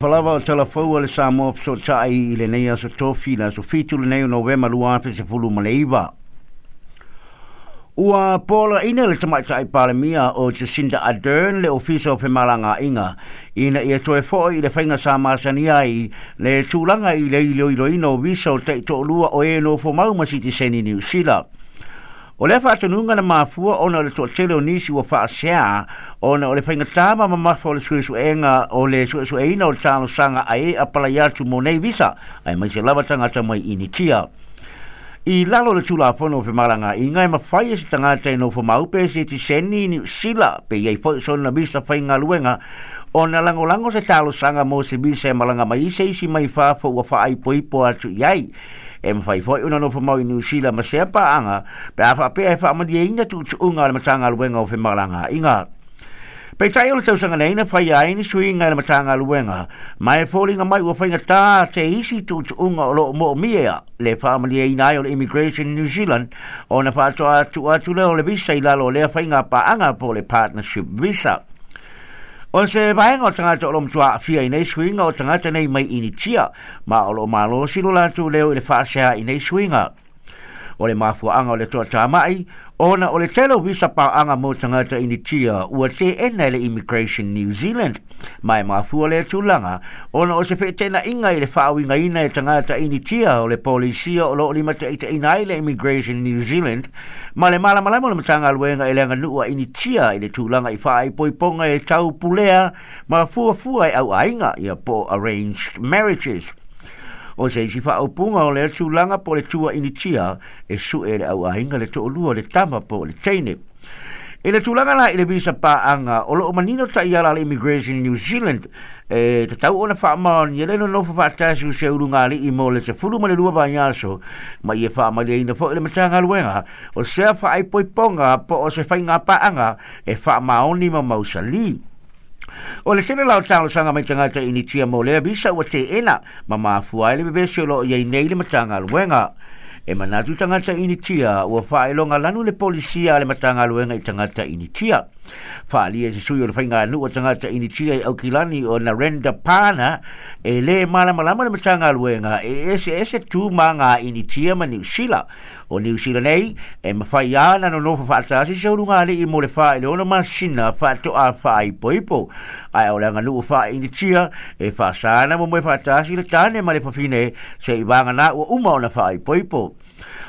Lava o tala fou a le Samoa Fesootai i lenei aso Tofi, le aso 7 lenei o Novema 2019. Ua poloaiina le tamaitai Palemia o Jacinda Ardern le Ofisa o Femalagaaiga ina ia toe foi i le faiga sa masani ai le tulaga i le iloiloina o visa o taitoalua o e nofo mau ma sitiseni Niu Sila. O lea faatonuga na mafua ona o le toatele o nisi ua faasea ona o le faigata ma mamafa o le suesuega o le suesueina o le talosaga a e apalai atu mo nei visa, aemaise lava tagata mai Initia. I lalo o le Tulafono o Femalagaaiga, e mafai e se tagata e nofo mau pe sitiseni Niu Sila pe i ai foi sona visa faigaluega ona lagolago se talosaga mo se visa e malaga mai se isi mai fafo ua faaipoipo atu i ai. E mafai foi ona nofo mau i Niu Sila ma sea paaga pe a faapea e faamalieina tuutuuga a le Matagaluega o Femalagaaiga. Peitai o le tausaga nei na faia ai ni suiga i le Matagaluega, ma e foliga mai ua faigata te isi tuutuuga o loo moomia le faamalieina ai o le Immigration New Zealand ona faatoa tuu atu lea o le visa i lalo o lea faiga paaga po o le partnership visa. O se vaega o tagata o lo o matua aafia i nei suiga o tagata nei mai Initia, ma o lo o malosi lo latou leo i le faasea i nei suiga. O le mafuaaga o le toatamai, ona o le tele o visa paaga mo tagata Initia ua teena e le Immigration New Zealand, ma e mafua lea tulaga ona o se feeteenaiga i le faauigaina e tagata Initia o le polisia o lo o limataitaiina ai le Immigration New Zealand ma le malamalama o le Matagaluega i le aganuu a Initia i le tulaga i faaipoipoga e tau pulea ma fuafua e auaiga ia po o arranged marriages. O se isi faaupuga o lea tulaga po o le tua Initia e sue e le auaiga le toalua o le tama po o le teine. I le tulaga la i le visa paaga, o loo manino taiala a le Immigration New Zealand e tatau ona faamaonia le nonofo faatasi o se ulugalii mo le 12 vaiaso, ma ia faamalieina foi le Matagaluega o sea faaipoipoga po o se faiga paaga e faamaoni ma mausali. O le tele la o talosaga mai tagata Initia mo lea visa ua teena ma mafua ai le vevesi o loo i ai nei le Matagaluega. E manatu tagata Initia ua faailoga lanu le polisia a le Matagaluega i tagata Initia. Faaalia e se sui o le faiganuu a tagata Initia i Aukilani o Narendra Pana e lē malamalama le Matagaluega e eseese tu ma ngā Initia ma Niu Sila. O Niu Sila nei, e mafai lava ona nonofo faatasi se ulugalii mo le 4 i le 6 masina faatoa faaipoipo. Ae o le aganuu faa-Initia e faasa ana momoe faatasi le tane ma le fafine se'i vagana ua uma ona faaipoipo.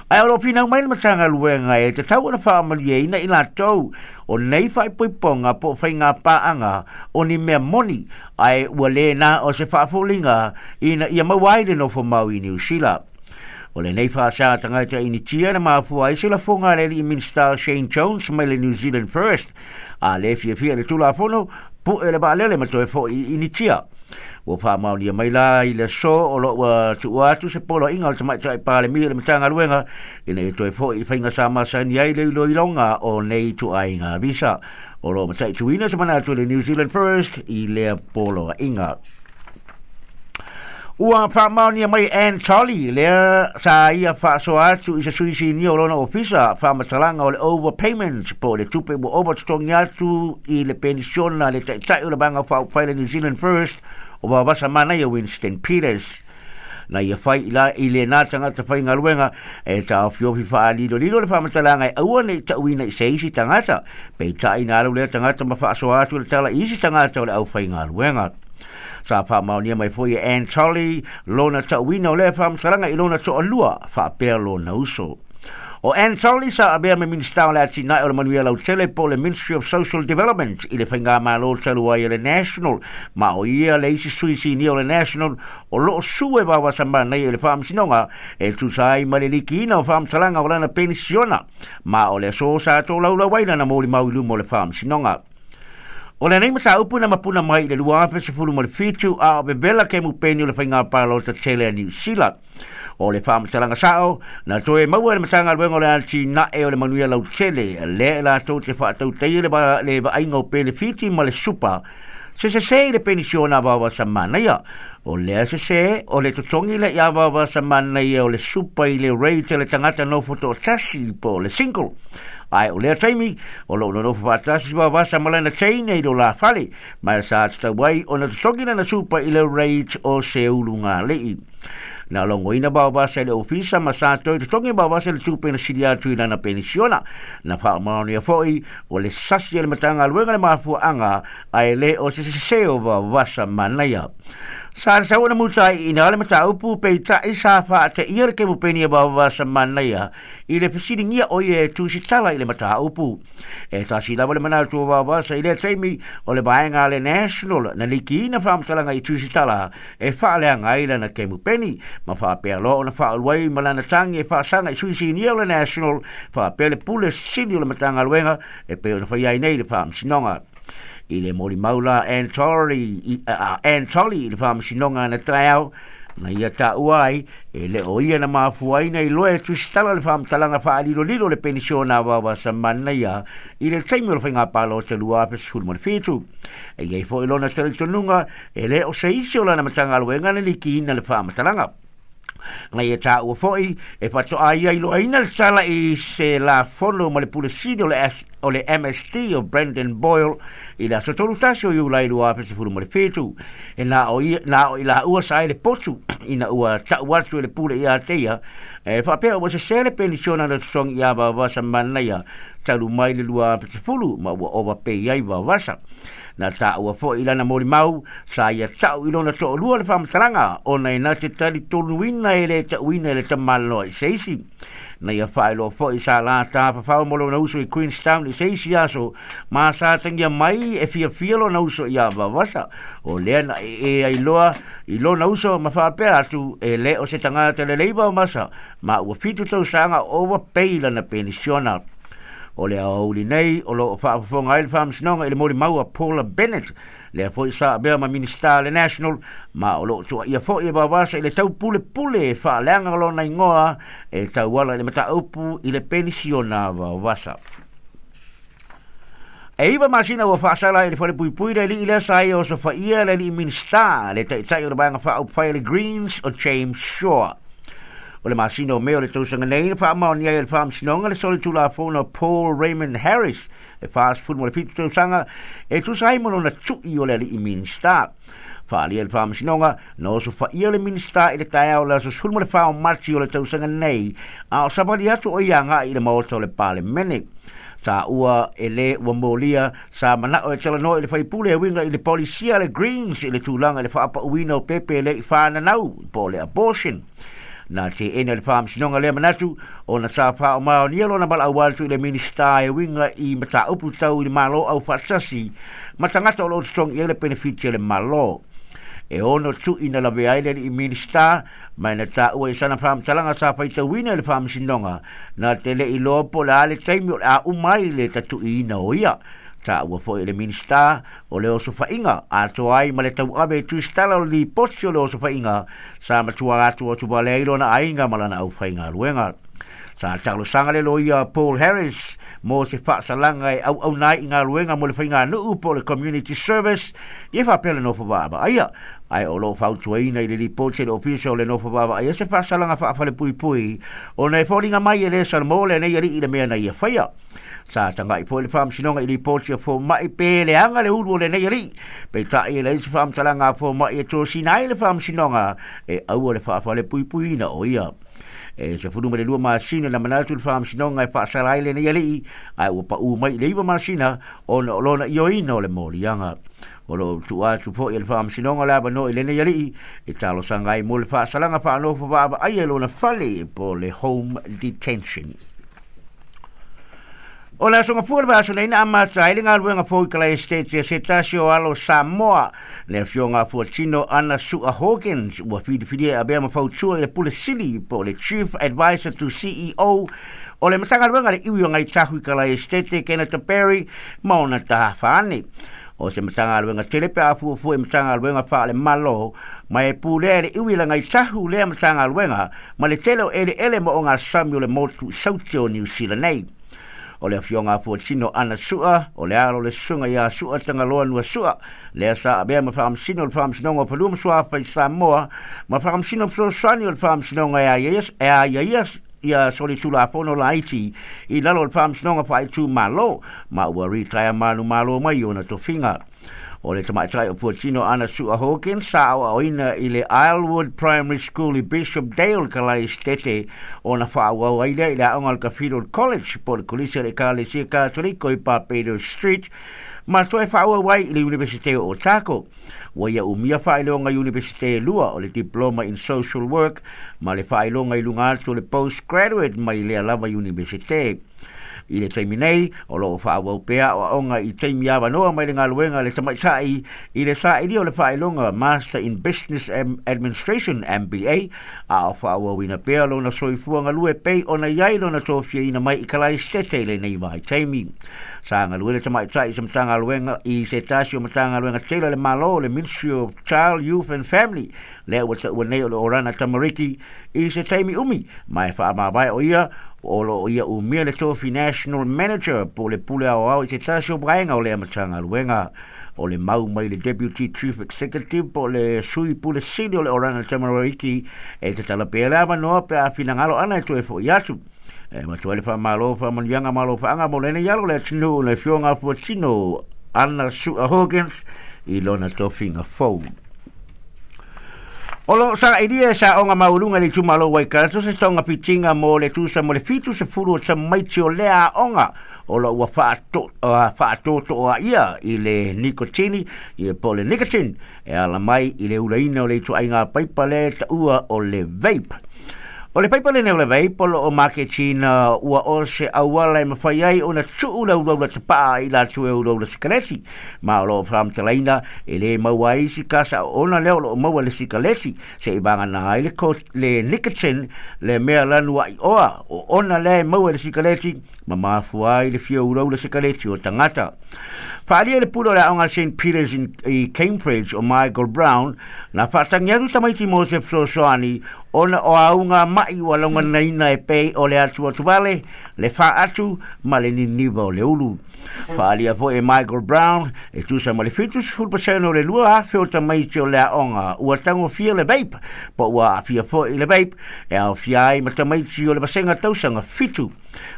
Ae o lo o finau mai le Matagaluega e tatau ona faamalieina i latou o nei faaipoipoga po o faiga paaga o ni mea moni, ae ua lē na o se faafoliga ina ia maua ai le nofo mau i Niu Sila. O lenei faasea tagata Initia na mafua ai se lafoga a le alii Minisita Shane Jones mai le New Zealand First, a lē fiafia i le Tulafono pu'e le vaalele ma toe fo'i i Initia. Ua faamaonia mai la i le aso o lo o ua tuua atu se poloaiga o le tamaitai Palemia i le Matagaluega ina ia toe fo'i i faiga sa masani ai le iloiloga o nei ituaiga visa. O lo o mataituina se manatu i le New Zealand First i lea poloaiga. Ua faamaonia mai Ann Tolley lea sa ia faasoa atu i se sui sinia o lona ofisa faamatalaga o le overpayment po o le tupe ua ova totogi atu i le penisiona a le taitai o le Vaega Faaupufai le New Zealand First o Vavasa Manaia Winston Peters. Na ia fai i la i lena tagata faigaluega e taofiofi faalilolilo le faamatalaga e aua ne i tauina i se isi tagata, peitai na alu lea tagata ma faasoa atu le tala i isi tagata o le aufaigaluega. Sa faamaonia mai foi e Ann Tolley lona tauina o lea faamatalaga i lona toalua faapea lona uso. O Ann Tolley sa avea ma Minisita o le Atinae o le Manuia Lautele po o le Ministry of Social Development i le faigamalo talu ai a le National, ma o ia le isi sui sinia o le National o loo sue vavasa manaia i le faamasinoga e tusa ai ma le likiina o faamatalaga o lana penisiona, ma o le aso sa tolaulau ai lana molimau i luma o le faamasinoga. O lenei mataupu na mapuna mai i le 2017 a o vevela kemupeni o le faiga palota tele a Niu Sila. O le faamatalaga sao, na toe maua e le Matagaluega o le Atinae o le Manuia Lautele, lea e latou te faatautaia le, le vaaiga o penefiti ma le supa, se sese i le penisiona a Vaovasa Manaia. O lea sese, o le totogi lea ia Vaovasa Manaia o le supa i le rate a le tagata nofo toatasi po o le single. Ae o lea taimi, o loo nonofo faatasi Vaovasa ma lana teine i lo la fale, ma sa tatau ai ona totogi lana supa i le rate o se ulugalii. Na logoina Vaovasa i le ofisa ma sa toe totogi Vaovasa i le tupe na sili atu i lana penisiona. Na faamaonia foi o le sasi e le Matagaluega le mafuaaga ae le o se sese o Vaovasa manaia. Sa le sau na mutai ina le mataupu peitai sa faateia le kemupeni e Vaovasa manaia i le fesiligia o ia e tusitala i le mataupu. E tasi lava le manatu o Vaovasa i lea taimi o le vaega a le National na likiina faamatalaga i tusitala e faaleaga ai lana kemupeni ma faapea loa ona faaulu ai ma lana tagi e faasaga i sui sinia o le National faapea le pule sili o le Matagaluega e pei ona fai ai nei le Faamasinoga. I le molimau la Ann Tolley i le Faamasinoga na taeao na ia taua ai e le o ia na mafuaina i loa e tusitala le faamatalaga faalilolilo le penisiona a Vaovasa manaia i le taimi o le faiga palota 2017. E i ai foi lona talitonuga e le o se isi o lana Matagaluega na likiina le faamatalaga. Na ia taua foi e faatoa ia iloaina le tala i se lafono ma le pule sili o le MST o Brendan Boyle i le aso 31 o Iulai 2017. E na o i laua sa ai le potu ina ua tau atu e le pule ia te ia e faapea ua sese le penisiona na totogi ia Vaovasa manaia talu mai le 2010 ma ua overpay ai Vaovasa. Na taua foi i lana molimau sa ia tau i lona toalua le faamatalaga ona e na te talitonuina e le tauina e le tamaloa i se isi. Na ia faailoa foi sa la tafafao mo lona uso i Queenstown i se isi aso ma sa tagia mai e fiafia lona uso ia Vaovasa. O lea na e ai loa i lona uso ma faapea atu e le o se tagata lelei Vaovasa ma ua 7 tausaga overpay lana penisiona. O le aoauli nei o loo faafofoga ai le Faamasinoga i le molimau a Paula Bennett, lea foi sa avea ma Minista le National, ma o loo tuaia foi e Vaovasa i le taupulepule e faaleaga lona igoa e tauala i le mataupu i le penisiona a Vaovasa. E 9 masina ua faasala i le falepuipui le alii lea sa ia osofaia le alii Minista le taitai o le vaega faaupufai le Greens o James Shaw. O le masina o Mei o le tausaga nei na faamaonia ai e le Faamasinoga le solitulafono Paul Raymond Harris e 47 tausaga e tusa ai ma lona tui o le alii Minista. Faalia le Faamasinoga na osofaia le Minista i le taeao o le aso 14 o Mati o le tausaga nei a o savali atu o ia agai i le maota o le Palemene. Taua e le ua molia sa manao e talanoa i le faipule e uiga i le polisia le Greens i le tulaga i le faapauina o pepe le i whananau po o le abortion. Na te ena le Faamasinoga lea manatu ona sa faamaonia lona valaau atu i le Minista e uiga i mataupu tau i le Malo au faatasi ma tagata o loo totogi i ai le penefiti a le Malo. E ono tui na lavea ai le alii Minista ma na taua i sana faamatalaga sa faitauina i le Faamasinoga na te le iloa po o le a le taimi o le a uma ai le tatuiina o ia. Taua foi e le Minista o le osofaiga atoa ai ma le tauave e tusitala o le lipoti o le osofaiga sa matua atu atu valea ai lona aiga ma lana aufaigaluega. Sa talosaga le loia Paul Harris mo se faasalaga e auauna ai i galuega mo le faiganuu po o le community service ia faapea le nofo vaavaaia. Ae o loo fautuaina i le lipoti e le ofisa o le nofo vaavaaia se faasalaga faafalepuipui ona e foliga mai e le salamo lenei alii i le mea na ia faia. Sa tagai foi le Faamasinoga i lipoti a fomai pe leaga le ulu o lenei alii. Peitai e leai se faamatalaga a fomai e tosina ai le Faamasinoga e aua le faafalepuipuiina o ia. E 12 masina na manatu le Faamasinoga e faasala ai lenei alii, ae ua pau mai i le 9 masina ona o lona ioina o le moliaga. O loo tuu atu foi e le Faamasinoga le avanoa i lenei alii e talosaga ai mo le faasalaga faanofo vaavaaia i lona fale po o le home detention. O le aso gafua le vaiaso nei na amata ai le galuega fou i Kalai Estate ia se tasi o alo Samoa le afioga a Fuatino Ana Sua Hawkins ua filifilia e avea ma fautua i le pule sili po o le Chief Advisor to CEO o le Matagaluega le iwi o Ngai Tahu i Kalai Estate Kenneth Perry ma ona tahafa ane. O se Matagaluega tele pe a fuafua i Matagaluega faale-Malo ma e pulea e le iwi le Ngai Tahu lea Matagaluega ma le tele o eleele ma o ngā sami o le motu i saute o New Zealand nei. O le afioga a Fuatino Ana Sua, o le alo le susuga ia Sua Tagaloa Nua Sua, lea sa avea ma faamasino o le Faamasinoga o Fanua ma Suafa i Samoa, ma faamasino fesoasoani o le Faamasinoga e aiaia ia solitulafono laiti i lalo o le Faamasinoga Faaitumalo, ma ua ritaea manumalo mai ona tofiga. O le tamaitai o Fuatino Ana Sua Hawkins sa aoaoina i le Islewood Primary School i Bishop Dale Kalaistete, ona faaauau ai lea i le aoga o le Cathedral College po o le Kolisi a le Ekalesia Katoliko i Barbados Street, ma toe faaauau ai i le Iunivesite o Otago. Ua ia umia faailoga Iunivesite e lua, o le Diploma in Social Work ma le faailoga i luga atu o le Postgraduate mai lea lava Iunivesite. I le taimi nei, o lo o faaauau pea aoaoga i taimi avanoa mai le galuega a le tamaitai i le sailia o le faailoga Master in Business Administration MBA, a o faaauauina pea lona soifua galue pei ona i ai lona tofiaina mai i Kalaistete i lenei vaitaimi. Sa galue le tamaitai i se Matagaluega i se tasi o Matagaluega tele a le Malo, le Ministry of Child, Youth and Family, lea ua taua nei o le Orana Tamariki i se taimi umi, ma e faamavae o ia o lo o ia umia le tofi National Manager po o le pule aoao i se tasi o vaega o lea Matagaluega. O le mau mai le Deputy Chief Executive po o le sui pule sili o le Orana Tamariki e tatala pea le avanoa pe a finagalo ana e toe fo'i atu. E matua ai le faamalo faamanuiaga ma alofaaga mo lenei alo le atunuu le Afioga Fuatino Ana Sua Hawkins i lona tofiga fou. O lo o sailia e saoga maualuga i le itumalo o Waikato se togafitiga mo le tusa mo le 70 o tamaiti o lea aoga o lo ua faatotoaia i le nikotini po o le nicotine e ala mai i le ulaina o le ituaiga paipa lea e taua o le vape. O le paipa lenei o le vape o lo o maketina ua o se auala e mafai ai ona tuu le ulaula tapaa i latou e ulaula sikaleti, ma o lo o faamatalaina e le maua ai isi kasa oona lea o lo o maua i le sikaleti se i vagana ai le, le nicotine, le mea lanu aioa o ona lea e maua i le sikaleti ma mafua ai le fia ulaula sikaleti o tagata. Faaalia i le pule o le aoga St. Peters i Cambridge o Michael Brown, na faatagi atu tamaiti mo se fesoasoani ona o auga ma'i ua lauganaina e pei o le atuatuvale, le faatu ma le niniva o le ulu. Faaalia foi e Michael Brown e tusa ma le 70% o le 2,000 o tamaiti o le aoga ua tagofia le vape po ua aafia foi i le vape, e aofia ai ma tamaiti o le vasega tausaga 7.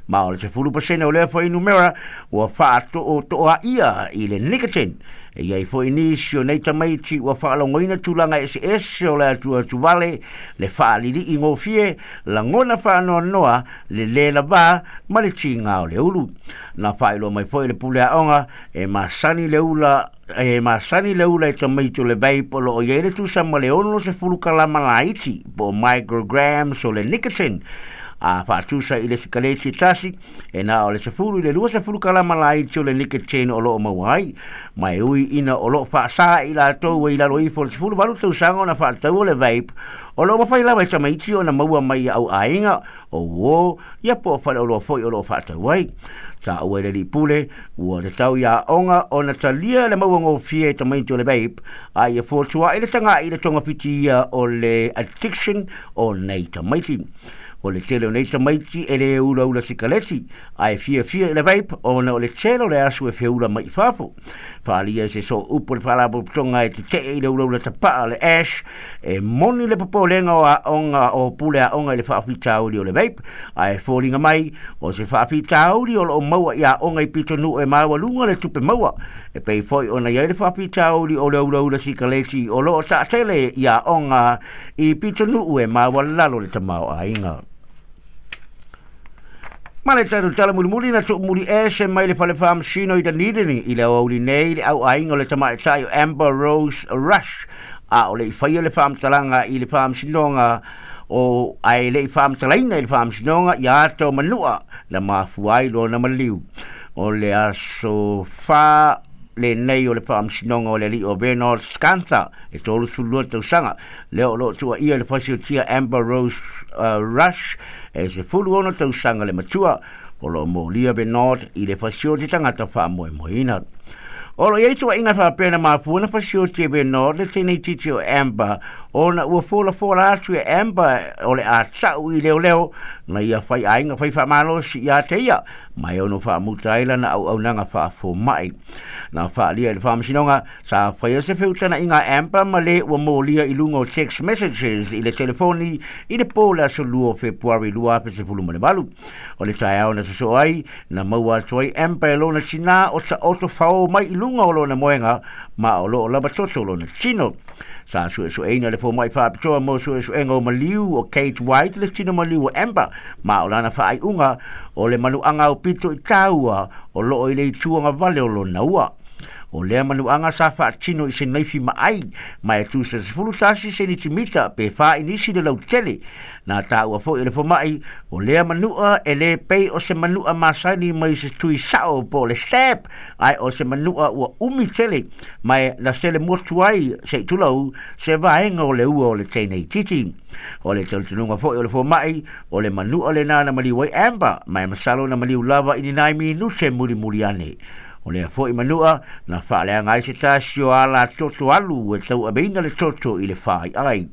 Ma o le 10% o lea fuainumera ua faatootoaia i le nicotine. E i ai foi nisi o nei tamaiti ua faalogoina tulaga eseese o le atuatuvale, le faalilii gofie, lagona faanoanoa, le lē lavā ma le tiga o le ulu. Na faailoa mai foi le pule aoga e masani le ula e masani le ula e tamaiti o le vape o lo o i ai le tusa ma le 60 kalama laiti po o micrograms o le nicotine, a faatusa i le sikaleti e tasi e na o le 10 i le 20 kalama laiti o le nicotine o lo o maua ai. Ma e ui ina o lo o faasā i latou e i lalo ifo o le 18 tausaga ona faataua le vape, o lo o mafai lava e tamaiti ona maua mai i au aiga o uō ia po o faleoloa foi o lo o faatau ai. Taua i le alii pule, ua tatau i aoga ona talia le mauagofie e tamaiti o le vape, a ia fotua'i le taga'i i le togafitia o le addiction o nei tamaiti. O le tele o nei tamaiti e lē ulaula sikaleti, ae fiafia i le vape ona o le tele o le asu e feula mai i fafo. Faaalia e se sooupu o le Faalapotopotoga e tetee i le ulaula tapaa le ash, e moni le popolega o aoga o pule aoga i le faafitauli o le vape, ae foliga mai o se faafitauli o lo o maua i aoga i pitonuu e maualuga le tupe maua, e pei foi ona i ai le faafitauli o le ulaula sikaleti o lo o taatele i aoga i pitonuu e maualalo le tamaoaiga. Ma le tatou tala mulimuli na tuumuli ese mai le fale faamasino i Dunedin i le aoauli nei le auaiga o le tamaitai o Amber Rose Rush, a o le i faia le faamatalaga i le faamasinoga o ae le i faamatalaina i le faamasinoga ia ata o manua na mafua ai lona maliu. O le aso 4 lenei o le faamasinoga o le alii o Bernard Scantha e 32 tausaga lea o lo o tuuaia i le fasiotia Amber Rose Rush e 16 tausaga le matua. O lo o molia Bernard i le fasioti tagata faamoemoeina. O lo i ai tuuaiga faapea na mafua ona fasioti e Bernard le teineitiiti o Amber ona ua folafola atu e Amber o le a ta'u i leoleo na ia faiaiga fai faamalosi iā te ia ma e ono faamuta ai lana auaunaga faafoma'i. Na faaalia i le faamasinoga sa faia se feutana'iga a Amber ma lē ua molia i luga o text messages i le telefoni i le pō le aso 2 o Fepuari 2018. O le taeao na sosoo ai na maua atu ai Amber e lona tinā o taoto faō mai i luga o lona moega ma o loo lava toto lona tino. Sa suesueina le fomaʻi faapitoa mo suesuega o maliu o Kate White le tino maliu o Amber ma o lana faaiuga o le manuaga aupito i tāua o loo i le itu agavale o lona ua. O lea manuaga sa faatino i se naifi maai ma e tusa 11 senitimita pe 4 inisi le lautele. Na tāua foi e le fomaʻi o lea manua e lē pei o se manua masani mai se tui sao po o le stab ae o se manua ua umi tele ma e na sele motu ai seʻi tulou se vaega o le ua o le teineititi. O le talitonuga foi o le fomaʻi o le manua lenā na maliu ai Amber ma e masalo na maliu lava i ni nai minute mulimuli ane. O lea foi manua na faaleaga ai se tasi o ala toto alu e tauaveina le toto i le faiai.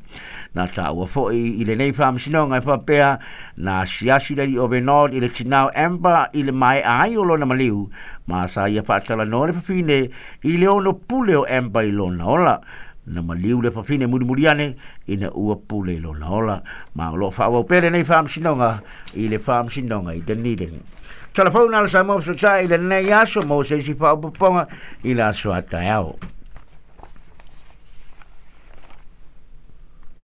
Na taua foi i lenei faamasinoga e faapea na asiasi le alii o Bernard i le tinā o Amber i le mae'a ai o lona maliu ma sa ia faatalanoa le fafine i le ono pule o Amber i lona ola. Na maliu le fafine mulimuli ane ina ua pule i lona ola. Ma o loo faaauau pea lenei faamasinoga i le faamasinoga i Dunedin. Telefona le Samoa Fesotai i lenei aso mo se isi faaopoopoga i le aso a taeao.